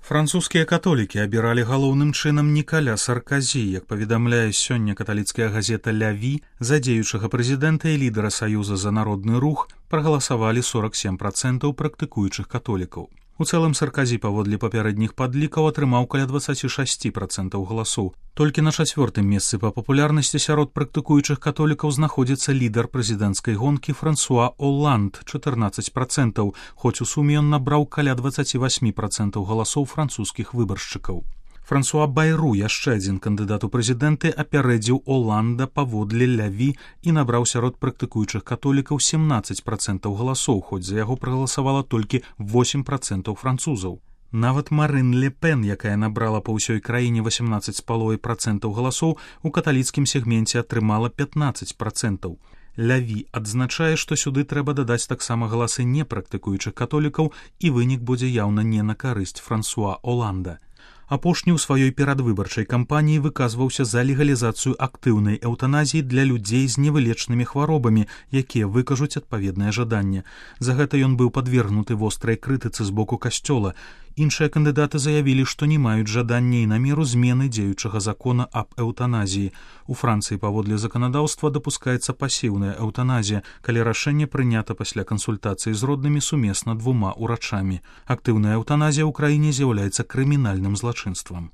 Французскія католікі абіралі галоўным чынам Нікаля Сарказі, як паведамляе сёння каталіцкая газета «Ля Ві», за дзеючага прэзідэнта і лідара Саюза за народны рух прагаласавалі 47% практыкуючых католікаў. У цэлым Сарказі паводле папярэдніх падлікаў атрымаў каля 26% галасоў. Толькі на 4-м месцы па папулярнасці сярод практыкуючых католікаў знаходзіцца лідар прэзідэнцкай гонкі Франсуа Оланд, 14%, хоць у суме ён набраў каля 28% галасоў французскіх выбаршчыкаў. Франсуа Байру, яшчэ адзін кандыдат у прэзідэнты, апярэдзіў Оланда паводле «Ля Ві» і набраў сярод практыкуючых католікаў 17% галасоў, хоць за яго прагаласавала толькі 8% французаў. Нават Марин Ле Пен, якая набрала па ўсёй краіне 18,5% галасоў, у каталіцкім сегменце атрымала 15%. «Ля Ві» адзначае, што сюды трэба дадаць таксама галасы непрактыкуючых католікаў, і вынік будзе яўна не на карысць Франсуа Оланда. Апошні ў сваёй перадвыбарчай кампаніі выказваўся за легалізацыю актыўнай эўтаназіі для людзей з невылечнымі хваробамі, якія выкажуць адпаведнае жаданне. За гэта ён быў падвергнуты вострай крытыцы з боку касцёла. Іншыя кандыдаты заявілі, што не маюць жадання і намеру змены дзеючага закона аб эўтаназіі. У Францыі паводле заканадаўства дапускаецца пасіўная эўтаназія, калі рашэнне прынята пасля кансультацыі з роднымі сумесна 2 урачамі. Актыўная эўтаназія ў краіне з'яўляецца крымінальным злачынствам.